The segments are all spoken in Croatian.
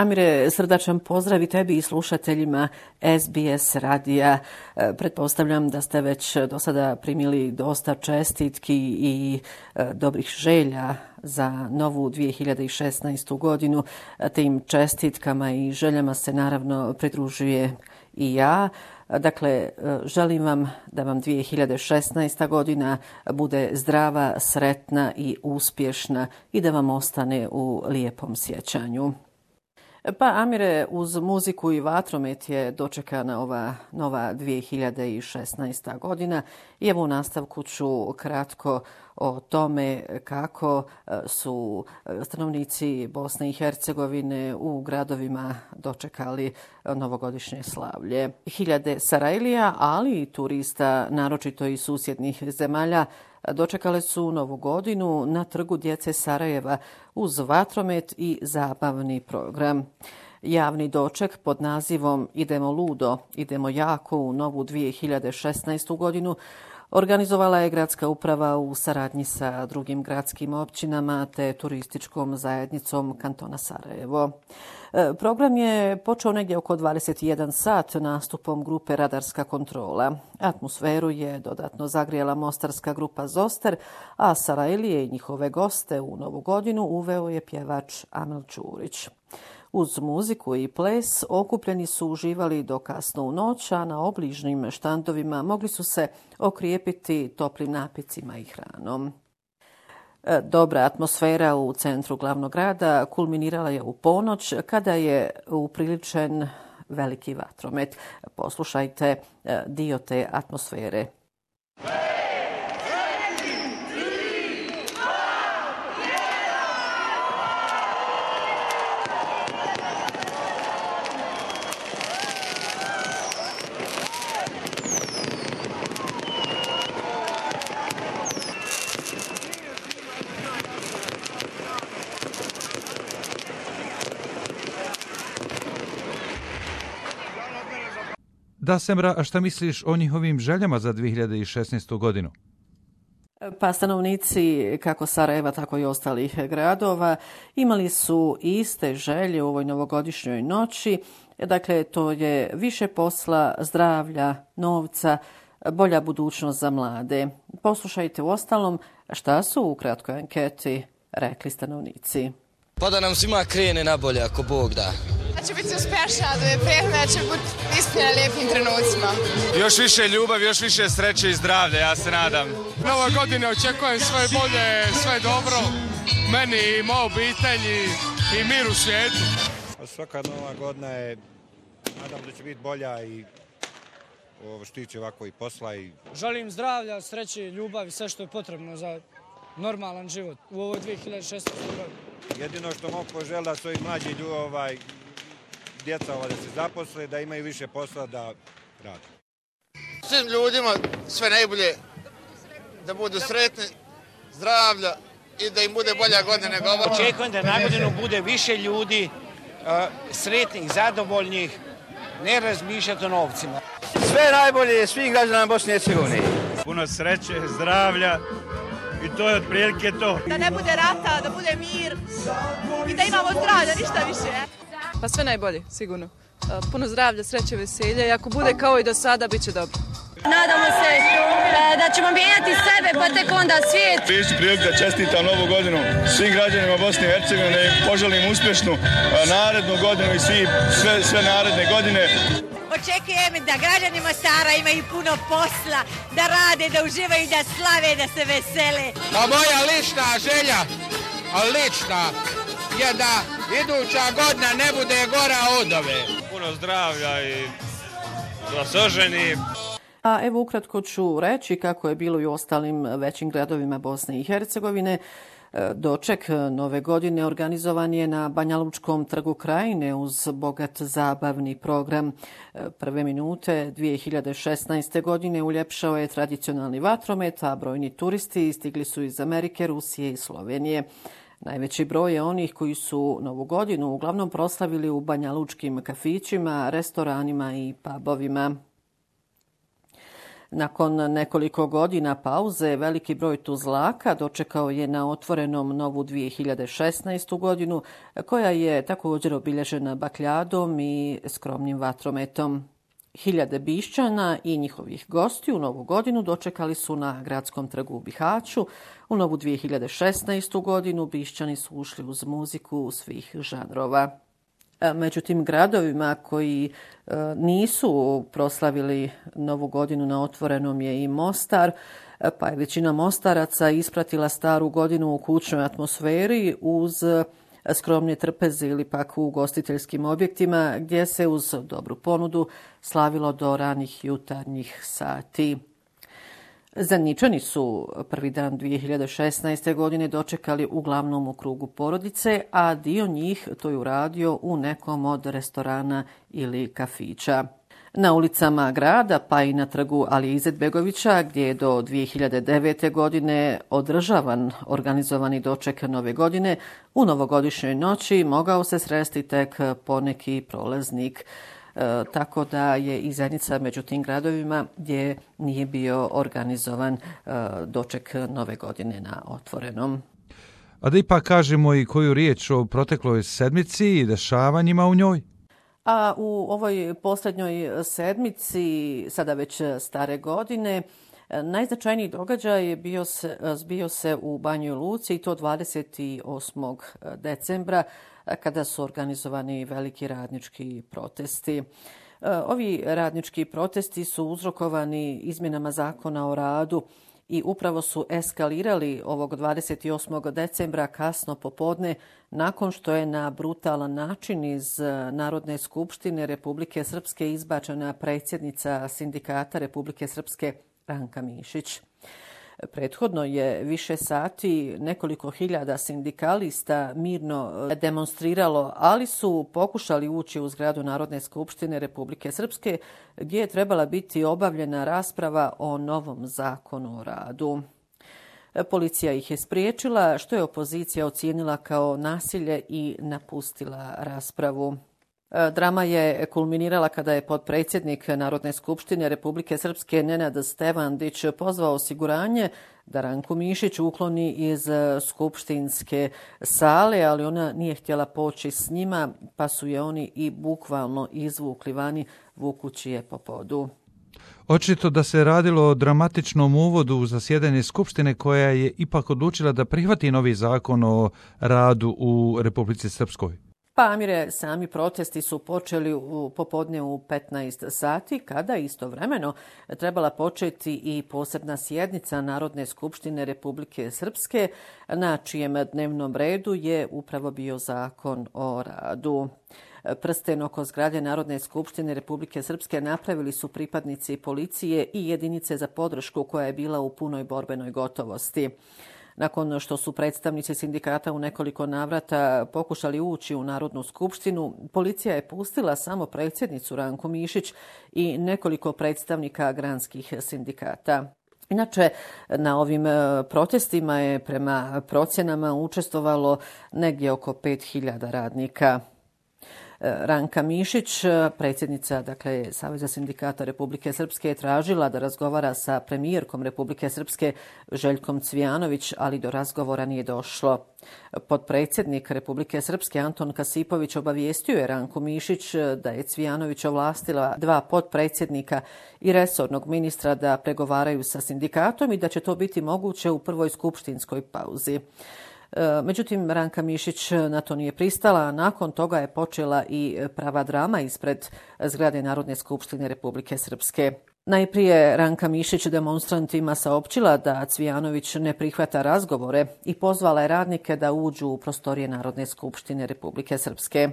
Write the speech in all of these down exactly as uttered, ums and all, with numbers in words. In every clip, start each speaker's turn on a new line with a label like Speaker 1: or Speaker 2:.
Speaker 1: Amire, srdačan pozdrav i tebi i slušateljima S B S radija. Pretpostavljam da ste već do sada primili dosta čestitki i dobrih želja za novu dvije hiljade šesnaestu godinu. Tim čestitkama i željama se naravno pridružuje i ja. Dakle, želim vam da vam dvije hiljade šesnaesta godina bude zdrava, sretna i uspješna i da vam ostane u lijepom sjećanju. Pa Amire, uz muziku i vatromet je dočekana ova nova dvije hiljade šesnaesta godina i evo u nastavku ću kratko o tome kako su stanovnici Bosne i Hercegovine u gradovima dočekali novogodišnje slavlje. Hiljade Sarajlija, ali i turista, naročito iz susjednih zemalja, dočekale su novu godinu na Trgu djece Sarajeva uz vatromet i zabavni program. Javni doček pod nazivom Idemo ludo, idemo jako u novu dvije hiljade šesnaestu godinu organizovala je gradska uprava u saradnji sa drugim gradskim općinama te turističkom zajednicom kantona Sarajevo. Program je počeo negdje oko dvadeset jedan sat nastupom grupe Radarska kontrola. Atmosferu je dodatno zagrijala mostarska grupa Zoster, a Sarajlije i njihove goste u novu godinu uveo je pjevač Amel Čurić. Uz muziku i ples okupljeni su uživali do kasno u noć, a na obližnjim štandovima mogli su se okrijepiti toplim napicima i hranom. Dobra atmosfera u centru glavnog grada kulminirala je u ponoć kada je upriličen veliki vatromet. Poslušajte dio te atmosfere.
Speaker 2: Da, Semra, a šta misliš o njihovim željama za dvije hiljade šesnaestu godinu?
Speaker 1: Pa stanovnici kako Sarajeva, tako i ostalih gradova imali su iste želje u ovoj novogodišnjoj noći. Dakle, to je više posla, zdravlja, novca, bolja budućnost za mlade. Poslušajte uostalom šta su u kratkoj anketi rekli stanovnici.
Speaker 3: Pa da nam svima krene na bolje ako Bog da.
Speaker 4: Da će biti uspješna, da je prijetna, da će biti ispunjena lijepim trenucima.
Speaker 5: Još više ljubavi, još više sreće i zdravlja, ja se nadam.
Speaker 6: Nova godina očekujem sve bolje, sve dobro, meni i moja obitelji i mir u svijetu.
Speaker 7: Svaka nova godina je, nadam da će biti bolja i ovo što tiče ovako i posla. I...
Speaker 8: Želim zdravlja, sreće, ljubav i sve što je potrebno za normalan život u ovoj dvije hiljade šesnaestoj godini.
Speaker 7: Jedino što mogu poželiti da su i mlađi ljudi, ovaj, djeca ovaj, da se zaposle, da imaju više posla da rade.
Speaker 9: Svim ljudima sve najbolje, da budu sretni, zdravlja i da im bude bolja godina nego ova.
Speaker 10: Očekujem da na godinu bude više ljudi, uh, sretnih, zadovoljnih, ne razmišljati o novcima.
Speaker 11: Sve najbolje svih građana Bosne i Hercegovine.
Speaker 5: Puno sreće, zdravlja. I to je otprilike to.
Speaker 4: Da ne bude rata, da bude mir i da imamo zdravlja, ništa više.
Speaker 12: Pa sve najbolje, sigurno. Puno zdravlja, sreće, veselja i ako bude kao i do sada, bit će dobro.
Speaker 13: Nadamo se da ćemo mijenjati sebe, pa tek onda svijet.
Speaker 14: Isti prilike da čestitam novu godinu svim građanima Bosne i Hercegovine, da im poželim uspješnu narednu godinu i svi, sve, sve naredne godine.
Speaker 15: Očekujem da građani Mostara imaju puno posla, da rade, da uživaju, da slave, da se vesele.
Speaker 9: A moja lična želja, lična, je da iduća godina ne bude gora od ove.
Speaker 5: Puno zdravlja i da se oženi.
Speaker 1: A evo ukratko ću reći kako je bilo i u ostalim većim gradovima Bosne i Hercegovine. Doček nove godine organizovan je na Banjalučkom trgu Krajine uz bogat zabavni program. Prve minute dvije hiljade šesnaeste. godine uljepšao je tradicionalni vatromet, a brojni turisti stigli su iz Amerike, Rusije i Slovenije. Najveći broj je onih koji su novu godinu uglavnom proslavili u banjalučkim kafićima, restoranima i pubovima. Nakon nekoliko godina pauze, veliki broj Tuzlaka dočekao je na otvorenom novu dvije hiljade šesnaestu godinu, koja je također obilježena bakljadom i skromnim vatrometom. Hiljade Bišćana i njihovih gostiju novu godinu dočekali su na gradskom trgu u Bihaću. U novu dvije hiljade šesnaestu godinu Bišćani su ušli uz muziku svih žanrova. Među tim gradovima koji nisu proslavili novu godinu na otvorenom je i Mostar, pa je većina Mostaraca ispratila staru godinu u kućnoj atmosferi uz skromne trpeze ili pak u ugostiteljskim objektima gdje se uz dobru ponudu slavilo do ranih jutarnjih sati. Zeničani su prvi dan dvije hiljade šesnaeste. godine dočekali uglavnom u krugu porodice, a dio njih to je uradio u nekom od restorana ili kafića. Na ulicama grada, pa i na trgu Alije Izetbegovića, gdje je do dvije hiljade devete. godine održavan organizovani doček nove godine, u novogodišnjoj noći mogao se sresti tek poneki prolaznik. E, tako da je i Zenica među tim gradovima gdje nije bio organizovan e, doček nove godine na otvorenom.
Speaker 2: A da ipak kažemo i koju riječ o protekloj sedmici i dešavanjima u njoj?
Speaker 1: A u ovoj posljednjoj sedmici, sada već stare godine, najznačajniji događaj je bio se, zbio se u Banjoj Luci i to dvadeset osmog decembra kada su organizovani veliki radnički protesti. Ovi radnički protesti su uzrokovani izmjenama zakona o radu i upravo su eskalirali ovog dvadeset osmog decembra kasno popodne nakon što je na brutalan način iz Narodne skupštine Republike Srpske izbačena predsjednica Sindikata Republike Srpske Ranka Mišić. Prethodno je više sati nekoliko hiljada sindikalista mirno demonstriralo, ali su pokušali ući u zgradu Narodne skupštine Republike Srpske, gdje je trebala biti obavljena rasprava o novom zakonu o radu. Policija ih je spriječila, što je opozicija ocijenila kao nasilje i napustila raspravu. Drama je kulminirala kada je potpredsjednik Narodne skupštine Republike Srpske Nenad Stevandić pozvao osiguranje da Ranku Mišić ukloni iz skupštinske sale, ali ona nije htjela poći s njima, pa su je oni i bukvalno izvukli vani vukući je po podu.
Speaker 2: Očito da se radilo o dramatičnom uvodu u zasjedanje Skupštine koja je ipak odlučila da prihvati novi zakon o radu u Republici Srpskoj.
Speaker 1: Pa Amire, sami protesti su počeli u popodne u petnaest sati, kada istovremeno trebala početi i posebna sjednica Narodne skupštine Republike Srpske, na čijem dnevnom redu je upravo bio zakon o radu. Prsten oko zgrade Narodne skupštine Republike Srpske napravili su pripadnici policije i jedinice za podršku koja je bila u punoj borbenoj gotovosti. Nakon što su predstavnici sindikata u nekoliko navrata pokušali ući u Narodnu skupštinu, policija je pustila samo predsjednicu Ranku Mišić i nekoliko predstavnika granskih sindikata. Inače, na ovim protestima je prema procjenama učestvovalo negdje oko pet hiljada radnika. Ranka Mišić, predsjednica dakle, Saveza sindikata Republike Srpske, je tražila da razgovara sa premijerkom Republike Srpske Željkom Cvijanović, ali do razgovora nije došlo. Potpredsjednik Republike Srpske Anton Kasipović obavijestio je Ranku Mišić da je Cvijanović ovlastila dva potpredsjednika i resornog ministra da pregovaraju sa sindikatom i da će to biti moguće u prvoj skupštinskoj pauzi. Međutim, Ranka Mišić na to nije pristala, a nakon toga je počela i prava drama ispred zgrade Narodne skupštine Republike Srpske. Najprije Ranka Mišić demonstrantima saopćila da Cvijanović ne prihvata razgovore i pozvala je radnike da uđu u prostorije Narodne skupštine Republike Srpske.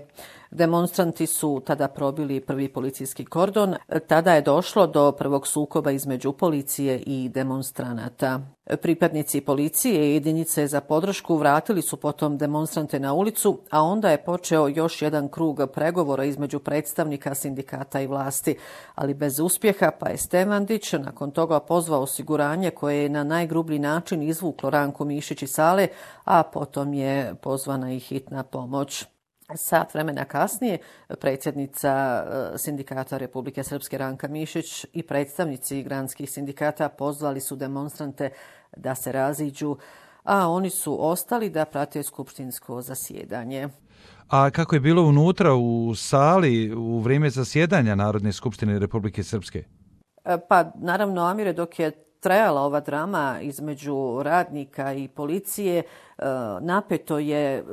Speaker 1: Demonstranti su tada probili prvi policijski kordon. Tada je došlo do prvog sukoba između policije i demonstranata. Pripadnici policije i jedinice za podršku vratili su potom demonstrante na ulicu, a onda je počeo još jedan krug pregovora između predstavnika sindikata i vlasti, ali bez uspjeha, pa je Stevandić nakon toga pozvao osiguranje koje je na najgrublji način izvuklo Ranku Mišić iz sale, a potom je pozvana i hitna pomoć. Sat vremena kasnije predsjednica Sindikata Republike Srpske Ranka Mišić i predstavnici granskih sindikata pozvali su demonstrante da se raziđu, a oni su ostali da prate skupštinsko zasjedanje.
Speaker 2: A kako je bilo unutra u sali u vrijeme zasjedanja Narodne skupštine Republike Srpske?
Speaker 1: Pa naravno, Amire, dok je trajala ova drama između radnika i policije, napeto je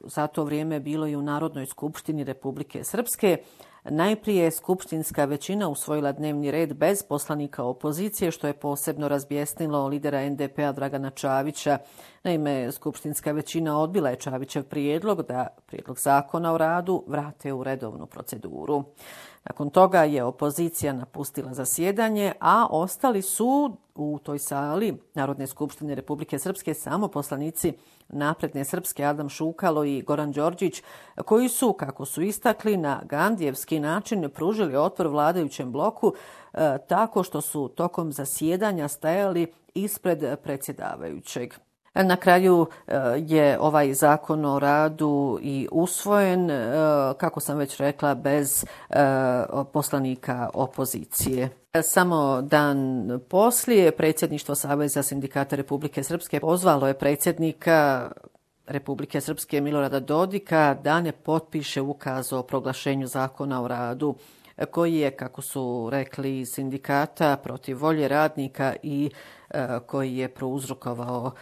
Speaker 1: za to vrijeme bilo i u Narodnoj skupštini Republike Srpske. Najprije je skupštinska većina usvojila dnevni red bez poslanika opozicije, što je posebno razbjesnilo lidera en de pe a Dragana Čavića. Naime, skupštinska većina odbila je Čavićev prijedlog da prijedlog zakona o radu vrate u redovnu proceduru. Nakon toga je opozicija napustila zasjedanje, a ostali su u toj sali Narodne skupštine Republike Srpske samo poslanici Napredne Srpske Adam Šukalo i Goran Đorđić, koji su, kako su istakli, na gandijevski način pružili otpor vladajućem bloku e, tako što su tokom zasjedanja stajali ispred predsjedavajućeg. Na kraju je ovaj zakon o radu i usvojen, kako sam već rekla, bez poslanika opozicije. Samo dan poslije predsjedništvo Saveza sindikata Republike Srpske pozvalo je predsjednika Republike Srpske Milorada Dodika da ne potpiše ukaz o proglašenju zakona o radu, koji je, kako su rekli sindikata, protiv volje radnika i koji je prouzrokovao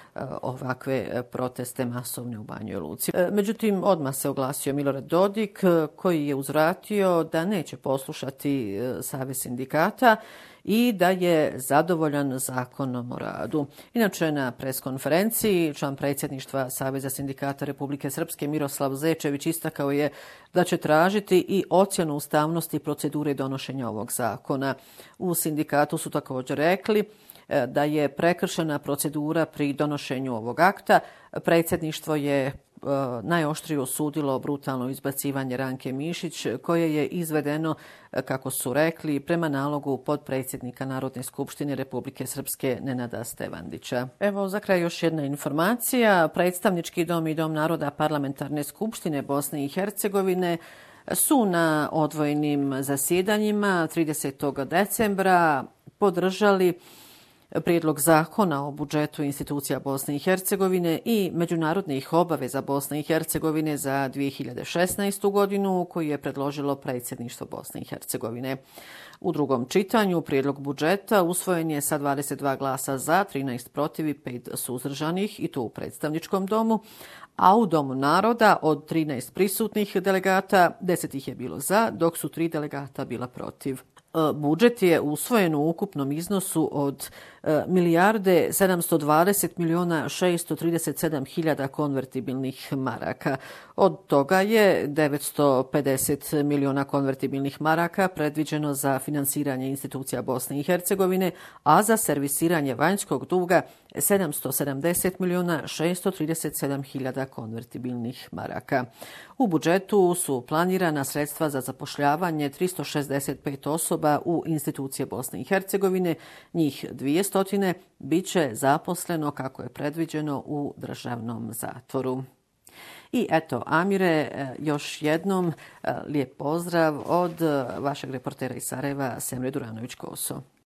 Speaker 1: ovakve proteste masovne u Banjoj Luci. Međutim, odmah se oglasio Milorad Dodik, koji je uzvratio da neće poslušati Savez sindikata i da je zadovoljan zakonom o radu. Inače, na preskonferenciji član predsjedništva Saveza sindikata Republike Srpske Miroslav Zečević istakao je da će tražiti i ocjenu ustavnosti procedure donošenja ovog zakona. U sindikatu su također rekli da je prekršena procedura pri donošenju ovog akta. Predsjedništvo je najoštrije osudilo brutalno izbacivanje Ranke Mišić, koje je izvedeno, kako su rekli, prema nalogu potpredsjednika Narodne skupštine Republike Srpske Nenada Stevandića. Evo, za kraj još jedna informacija. Predstavnički dom i Dom naroda Parlamentarne skupštine Bosne i Hercegovine su na odvojenim zasjedanjima tridesetog decembra podržali prijedlog zakona o budžetu institucija Bosne i Hercegovine i međunarodnih obaveza Bosne i Hercegovine za dvije hiljade šesnaestu. godinu, koji je predložilo predsjedništvo Bosne i Hercegovine. U drugom čitanju prijedlog budžeta usvojen je sa dvadeset dva glasa za, trinaest protiv i pet suzdržanih, i to u predstavničkom domu, a u Domu naroda od trinaest prisutnih delegata deset ih je bilo za, dok su tri delegata bila protiv. Budžet je usvojen u ukupnom iznosu od milijarde sedamsto dvadeset miliona šesto trideset sedam hiljada konvertibilnih maraka. Od toga je devetsto pedeset miliona konvertibilnih maraka predviđeno za finansiranje institucija Bosne i Hercegovine, a za servisiranje vanjskog duga sedamsto sedamdeset miliona šesto trideset sedam hiljada konvertibilnih maraka. U budžetu su planirana sredstva za zapošljavanje tristo šezdeset pet osoba u institucije Bosne i Hercegovine, njih dvjesto bit će zaposleno kako je predviđeno u državnom zatvoru. I eto, Amire, još jednom lijep pozdrav od vašeg reportera iz Sarajeva, Semre Duranović-Koso.